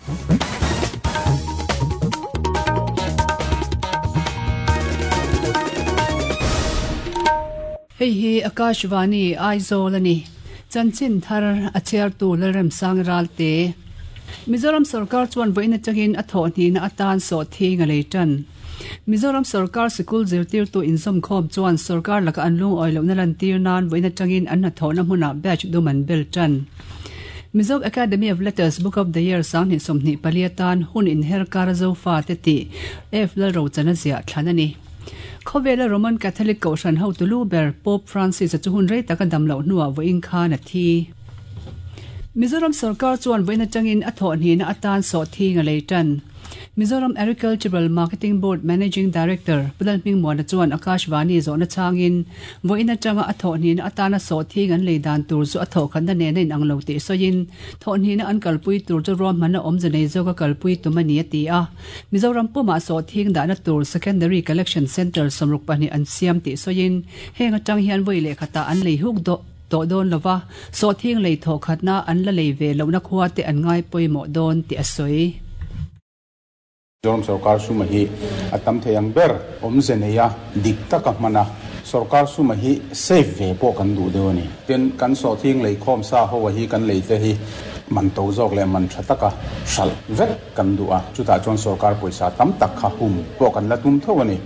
Hei hi Akashvani Aizawl a ni. Chanchin thar a chhiartu Lalremsang Ralte. Mizoram sorkar chuan vawiin atangin a thawh hnihna atan sawhthing a lei tan. Mizoram sorkar sikul zirtirtu inzawmkhawm chuan sorkar laka an lungawi lohna lantir nan vawiin atangin an hnathawhna hmunah batch dum an bel tan. Mizo Academy of Letters Book of the Year 2024 atan hun inher kara Zofate tih F Lalrochana ziah thlan a ni. Khawvela Roman Catholic Kohhran hotu lu ber Pope Francis-a chu hun rei taka dam loh hnuah vawiin khan a thi. Mizoram sorkar chuan vawiin atangin a thawhhnihna atan sawhthing a lei tan. Mizoram Agricultural Marketing Board Managing Director Pu Lalhmingmuana chuan Akashvani zawhna chhangin vawiin atanga a thawhhnihna atana sawhthing an lei dan tur chu a thawhkhatna nena inang lo tih sawiin thawhhnihna an kalpui tur chu ruahmanna awmze nei zawka kalpui tum a ni a ti a. Mizoram pumah sawhthing dahna tur Secondary Collection Centre 62 an siam tih sawiin heng atang hian vawi leh khatah an lei huk tawh dawn lova, sawhthing lei thawhkhatna an la lei ve lohna khua te an ngai pawimawh dawn tih a sawi. Mizoram sorkar suma hi a tam thei ang ber awmze neia dik taka hman a, sorkar suma hi safe ve pawh kan duh deuh a ni. Tin, kan sawhthing leikhawm sa ho a hi kan lei te hi man to zawk leh man tha taka hralh vek kan duh a, chutah chuan sorkar pawisa tam tak kha hum pawh kan la tum tho a ni.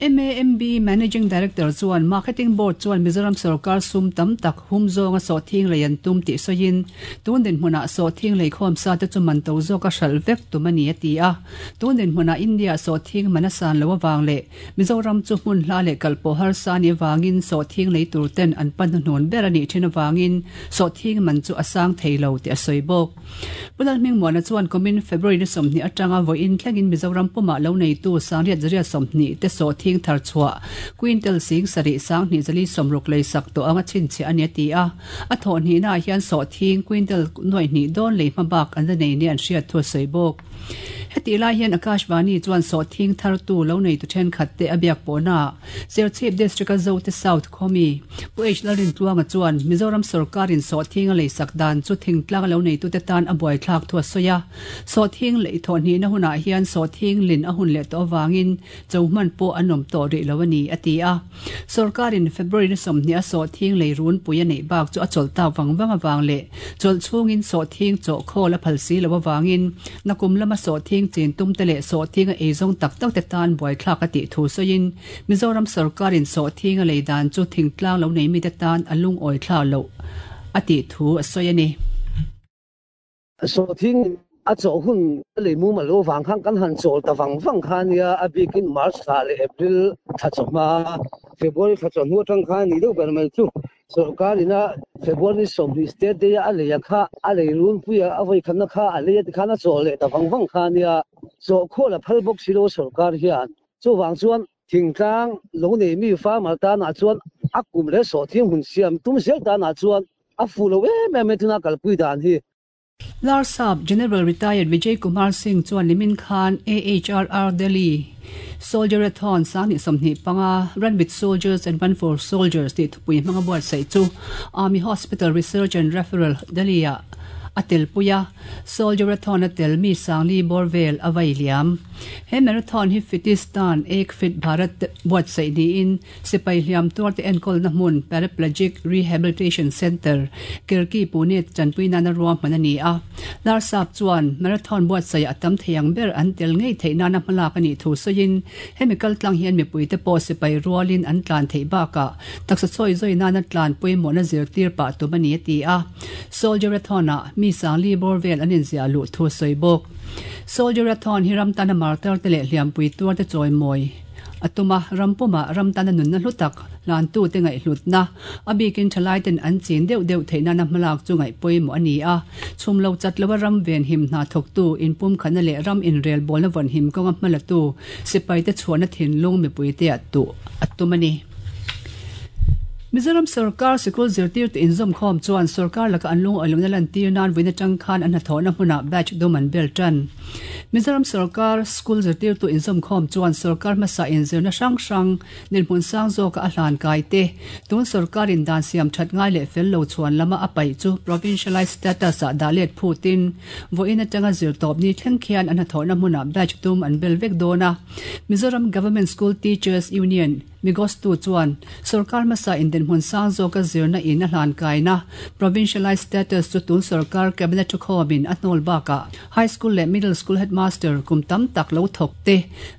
MAMB Managing Director chuan Marketing Board chuan Mizoram sorkar sum tam tak hum zawnga sawhthing lei an tum tih sawiin, tun dinhmunah sawhthing leikhawm sa te chu man to zawka hralh vek tum a ni a ti a. Tun dinhmunah India sawhthing man a san loh avang leh Mizoram chu hmun hla leh kalpawh harsa a nih avangin sawhthing lei tur ten an pan hnuhnun ber a nih thin avangin sawhthing man chu a sang thei lo tih a sawi bawk. Pu Lalhmingmuana chuan kumin February ni 20 atanga vawiin thlengin Mizoram pumah lo neitu sangriat zariat 20 te sawhthing thar chhuah quintal sing sarih sanghnih zali sawmruk lei sak tawh anga chhinchhiah a ni a ti a. A thawh hnihnaah hian sawhthing quintal nuaih hnih dawn lei hma bak an la nei nia an hriat thu a sawi bawk. Hetih lai hian Akashvani chuan sawhthing thartu lo neitu thenkhat te a biak pawhnaah Serchhip District-a Zote South khawmi Pu H Lalrintluanga chuan Mizoram sawrkarin sawhthing a leisak dan chu thingtlang lo neitute tan a buaithlak thu a sawi a. Sawhthing lei thawhhnihna hunah hian sawhthing lin a hun leh tawh avangin cho hman pawh an awm tawh rih lo a ni, a ti a. Sawrkarin February ni 20 a sawhthing lei runpui a neih bak chu a chawlh tak vang vang avang leh chawlh chhungin sawhthing chawh khawl a phal si lo avangin nakum lama sawhthing chin tumte leh sawhthing a eizawng tak takte tan buaithlak a tih thu sawiin Mizoram sawrkarin sawhthing a lei dan chu thingtlang lo nei mite tan a lungawi thla loh a tih thu a sawi a ni. Sawhthing a chawh hun a lei mumal lo vang khan kan han chawl ta vang vang kha a nia, a bikin March thla leh April thla chawhma, February thla chawhnu atang khan a nih deuh ber mai chu. Sorkar ina February ni 20 State Day a a lei a kha a lei runpui a, a vawikhatna kha a lei a tikhan a chawl leh ta vang vang kha a nia, chawhkhawl a phal bawk si lo sorkar hian. Chuvang chuan thingtlang lo nei mi farmer tanah chuan a kum leh sawhthing hun siam tum zel tanah chuan a fuh lo em em mai tuna kalpui dan hi. Larsap General Retired Vijay Kumar Singh chuan nimin khan AHRR Delhi Soldierathon 2025 Run with Soldiers and Run for Soldiers tih thupui hmanga buatsaih chu Army Hospital Research and Referral Delhi-ah a telpui a, Soldierathon a tel mi sangli bawr vel a vai liam. He marathon hi Fitistan Ek Fit Bharat buatsaih niin Sipai hliam tuarte enkawlna hmun Paraplegic Rehabilitation Centre, Kirki, Pune tanpui nana ruahman a ni a. Larsap chuan marathon buatsaihah a tam thei ang ber an tel ngei theih nana hmalak a nih thu sawiin, hemi kaltlang hian mipuite pawh sipai rualin an tlan theih bakah taksa chawi zawi nana tlan pawimawhna zirtir pah tum a ni a ti a. Soldierathon-ah mi sangli bawr vel an inziah luh thu a sawi bawk. Soldierathon hi ram tana martar-te leh hliampui tuarte chawimawi A tum a, ram pumah ram tana nunna hlu tak hlantute ngaihhlutna, a bikin thalaiten an chin deuh deuh theih nana hmalak chu ngaih pawimawh a ni a. Chhum lo chat loa ram venhim hna thawktu, inpumkhatna leh ram inrelbawlna vawnhim kawnga hmalatu sipaite chhuahna thinlung mipuite ah tuh a tum a ni. Mizoram sorkar sikul zirtirtu inzawmkhawm chuan sorkar laka an lungawi lohna lantir nan vawiin atang khan an hnathawhna hmunah batch dum an bel tan. Mizoram sorkar school zirtirtu inzawmkhawm chuan sorkar hmasa inzirna hrang hrang dinhmun sang zawka a hlan kai te, tun sorkarin dan siam that ngai leh fel lo chhuan lama a paih chu provincialized status ah dah let phutin vawiin atanga zirtawp ni thleng khian an hnathawhna hmunah batch tum an bel vek dawn a. Mizoram Government School Teachers Union, Migostu chuan sorkar hmasa in dinhmun sang zawka zirna in a hlan kaina provincialized status chu tun sorkar cabinet thukhawmin a hnawl bakah high school leh middle school headmaster kum tam tak lo thawk te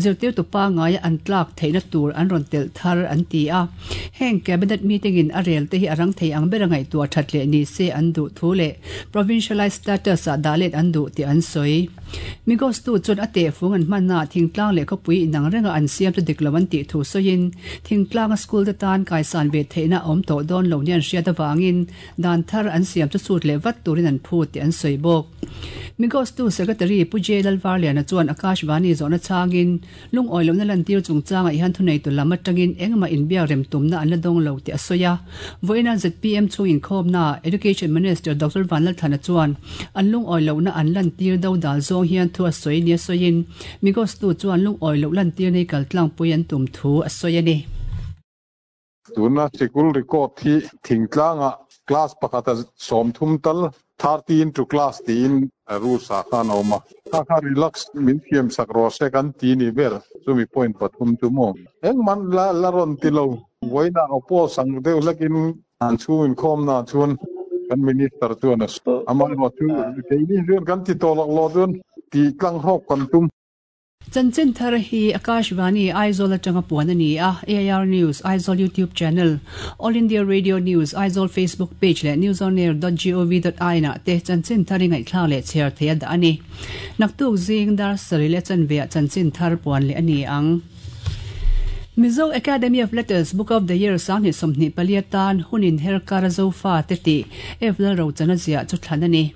zirtirtu pangaia an tlak theihna tur an rawn telh thar an ti a. Heng cabinet meeting in a rel te hi a rang thei ang ber a ngaihtuah that leh ni se an duh thu leh provincialized status ah dah let an duh tih an sawi. Migostu chuan a tehfung an hmanna thingtlang leh khawpui inang renga an siam chu dik lo an tih thu sawiin thingtlanga school te tan kaisan ve theihna a awm tawh dawn lo nia an hriat avangin dan thar an siam chu chhut leh vat turin an phut tih an sawi bawk. Migostu Secretary Pu J Lalvarliana chuan Akashvani zawhna chhangin Lungawi lohna lantir chungchangah hian thuneitu lam atangin engmah inbiak rem tumna an la dawng lo tih a sawi a. Vawiina zpm chhung inkhawmnaah Education Minister Doctor Vanlalthlana chuan an lungawi lohna an lantir do dal zawng hian thu a sawi nia sawiin Migostu chuan lungawi loh lantir nei kaltlangpui an tum thu a sawi a ni. Tuna sikul record hi thingtlangah class pakhata 30 tal, 30 into class tiin rules ah khan a awm a. Kha kha relax min thiam sak rawh se kan ti ni ber, chumi point pathum chu maw. Engmah la la rawn ti lo, vawiinah oppose ang deuh hlekin an chhung inkhawmna chuan kan minister chuan a sawi. Amaherawhchu keini chuan kan ti tawh lawk lawh chuan tih tlang hlawk kan tum. Chanchin thar hi Akashvani Aizawl atanga puan a ni a, AIR News Aizawl YouTube Channel, All India Radio News Aizawl Facebook Page leh newsonair dot gov dot in ah te chanchin thar i ngaihthlak leh chhiar theih a dah a ni. Naktuk zing dar sarih leh chanve ah chanchin thar puan leh a ni ang. Mizo Academy of Letters Book of the Year 2024 atan hun inher kar a Zofa te tih F Lalrochana ziah chu thlan a ni.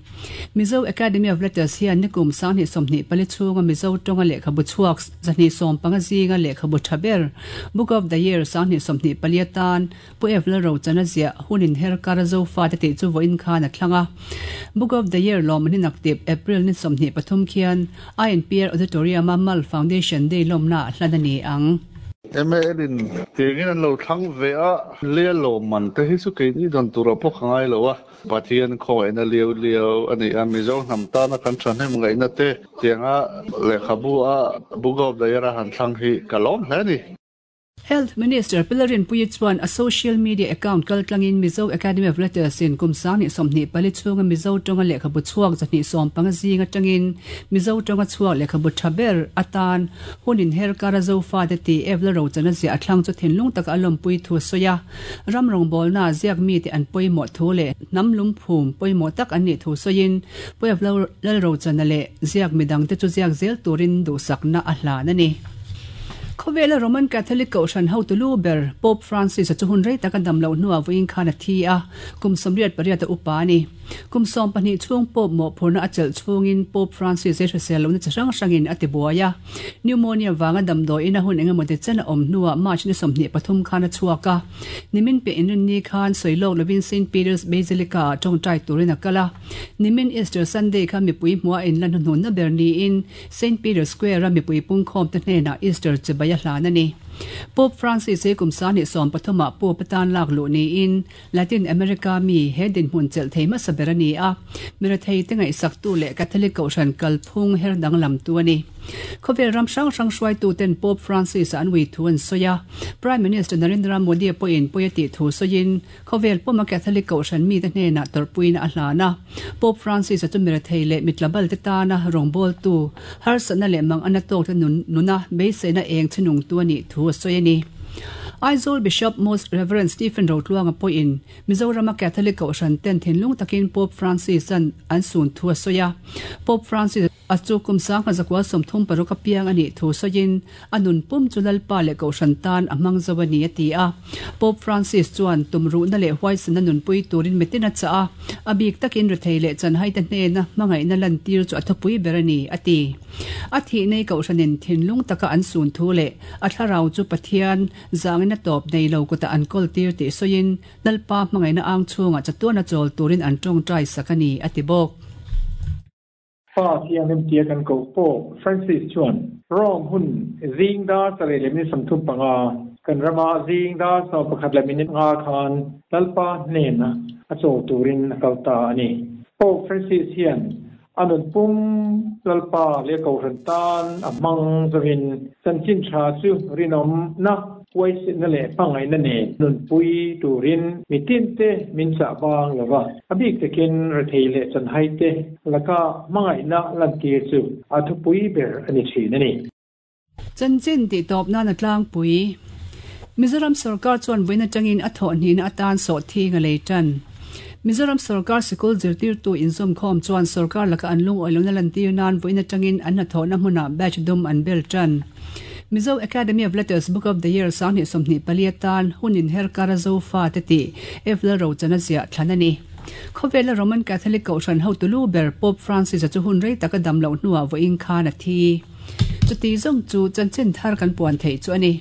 Mizo Academy of Letters hian nikum 2024 chhunga Mizo tawnga lehkhabu chhuak 215 zinga lehkhabu tha ber Book of the Year 2024 atan Pu F Lalrochana ziah hun inher kar a Zofate tih chu vawiin khan a thlang a. Book of the Year lawmman hi naktip April ni 23 khian INPR Auditorium-a Mal Foundation Day lawmnaah hlan a ni ang. MAL in tiangin an lo thlang ve a, lei a lawmman te hi chu keini dawn turah pawh ka ngai lo a. Pathian khawngaihna liau liau a ni a, Mizo hnam tana kan thahnem ngaihna te tianga lehkhabu a Book of the Year a han thlang hi ka lawm hle a ni. Health Minister Pi Lalrinpuii chuan a social media account kaltlangin Mizo Academy of Letters in kum 2024 chhunga Mizo tawnga lehkhabu chhuak 215 zing atangin Mizo tawnga chhuak lehkhabu tha ber atan hun inher kara Zofate tih Ev Lalrochana ziah a thlang chu thinlung taka a lawmpui thu a sawi a. Ram rawngbawlnaa ziak mite an pawimawh thu leh hnam lungphum pawimawh tak an nih thu sawiin Puev Lalrochana leh ziak midangte chu ziak zel turin duhsakna a hlan a ni. Khawvela Roman Catholic Kohhran hotu lu ber Pope Francis-a chu hun rei taka dam loh hnuah vawiin khan a thi a, kum 88 a upa a ni. Kum 12 chhung Pope mawhphurhna a chelh chhungin Pope Francis hi hrisel lohna chi hrang hrangin a tibuai a. Pneumonia vanga damdawiin a hun engemaw ti chen a awm hnuah March ni 23 khan a chhuak a. Nimin piah inrinni khan sawi lawk lovin Saint Peter's Basilica-ah tawngtai turin a kal a. Nimin Easter Sunday kha mipui hmuh a inla hnuhnunna ber niin Saint Peter's Square-a mipui pungkhawmte hnenah Easter chibai a hlan a ni. Pope Francis hi kum 2013 ah Pope atan lak luh niin Latin America mi he dinhmun chelh thei hmasa ber a ni a, mirathei te ngaihsaktu leh Catholic Kohhran kalphung her danglamtu a ni. Khawvel ram hrang hrang hruaituten Pope Francis-a an ui thu an sawi a, Prime Minister Narendra Modi pawhin pawi a tih thu sawiin khawvel pawma Catholic Kohhran mite hnenah tawrhpuina a hlan a. Pope Francis-a chu mirathei leh mitlabal te tana rawngbawltu, harsatna leh mangana tawkte nuna beiseina eng chhinungtu a nih thu a sawi a ni. Aizawl Bishop Most Rev. Stephen Rotluanga pawhin Mizorama Catholic Kohhran ten thinlung takin Pope Francis-a'n an sun thu a sawi a. Pope Francis a chu kum 1936 a piang a nih thu sawiin a nun pum chu Lalpa leh Kohhran tan a hmang zo a ni a ti a. Pope Francis chuan tumruhna leh huaisana nunpui turin mitin a chah a, a bik takin rethei leh chanhaite hnena hmangaihna lantir chu a thupui ber a ni a ti. A thih nei Kohhranin thinlung taka an sun thu leh A thlarau chu Pathian zangin a tawp nei lo kutah an kawl tir tih sawiin Lalpa hmangaihna ang chhungah chatuan a chawl turin an tawngtai sak a ni, a ti bawk. Pa Thianghlim tia kan koh Pope Francis chuan Rome hun zing dar sarih leh minute 35 kan rama zing dar 11 leh minute nga khan Lalpa hnena a chawl turin a kal ta a ni. Pope Francis hian a nun pum Lalpa leh Kohhran tan a hmang zawin chanchin tha chu rinawmna, huaisenna leh hmangaihna nen nunpui turin mitinte min chah bang lo va, a bik takin rethei leh chanhaite laka hmangaihna lantir chu a thupui ber a ni thin a ni. Chanchin tih tawp nan a tlangpui. Mizoram sorkar chuan vawiin atangin a thawhhnihna atan sawhthing a lei tan. Mizoram sorkar sikul zirtirtu inzawmkhawm chuan sorkar laka an lungawi lohna lantir nan vawiin atangin an hnathawhna hmunah batch dum an bel tan. Mizo Academy of Letters Book of the Year 2024 atan hun inher kar a Zofa te tih F Lalrochana ziah thlan a ni. Khawvela Roman Catholic Kohhran hotu lu ber Pope Francis-a chu hun rei taka dam loh hnuah vawiin khan a thi. Chuti zawng chu chanchin thar kan puan theih chu a ni.